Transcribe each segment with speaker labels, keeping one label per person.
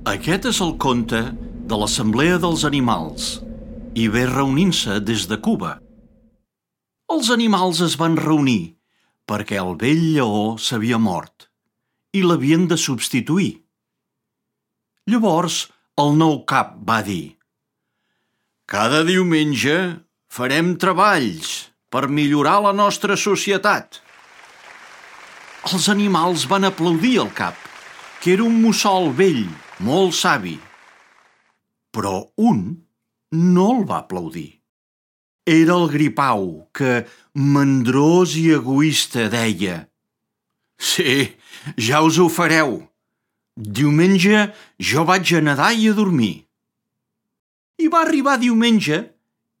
Speaker 1: Aquest és el conte de l'Assemblea dels Animals i ve reunint-se des de Cuba. Els animals es van reunir perquè el vell lleó s'havia mort i l'havien de substituir. Llavors el nou cap va dir: «Cada diumenge farem treballs per millorar la nostra societat». Els animals van aplaudir el cap, que era un mussol vell, molt savi. Però un no el va aplaudir. Era el gripau, que, mandrós i egoista, deia: «Sí, ja us ho fareu. Diumenge jo vaig a nedar i a dormir». I va arribar diumenge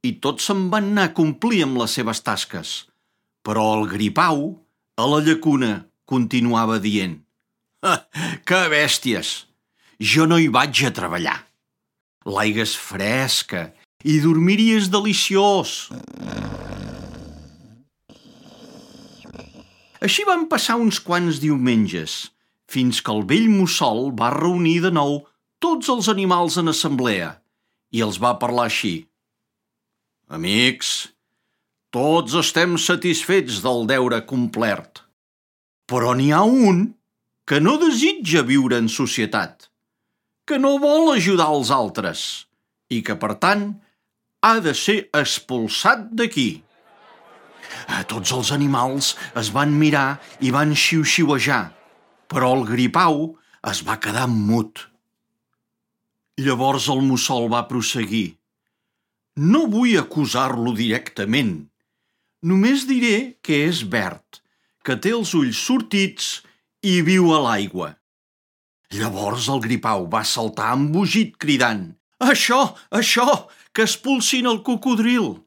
Speaker 1: i tots se'n van anar a complir amb les seves tasques. Però el gripau, a la llacuna, continuava dient: «Que bèsties! Jo no hi vaig a treballar. L'aigua és fresca i dormir-hi és deliciós». Així van passar uns quants diumenges, fins que el vell mussol va reunir de nou tots els animals en assemblea i els va parlar així: «Amics, tots estem satisfets del deure complert, però n'hi ha un que no desitja viure en societat, que no vol ajudar els altres i que, per tant, ha de ser expulsat d'aquí». Tots els animals es van mirar i van xiu-xiuejar, però el gripau es va quedar mut. Llavors el mussol va prosseguir: «No vull acusar-lo directament. Només diré que és verd, que té els ulls sortits i viu a l'aigua». Llavors el gripau va saltar embogit cridant: «Això, que expulsin el cocodril!»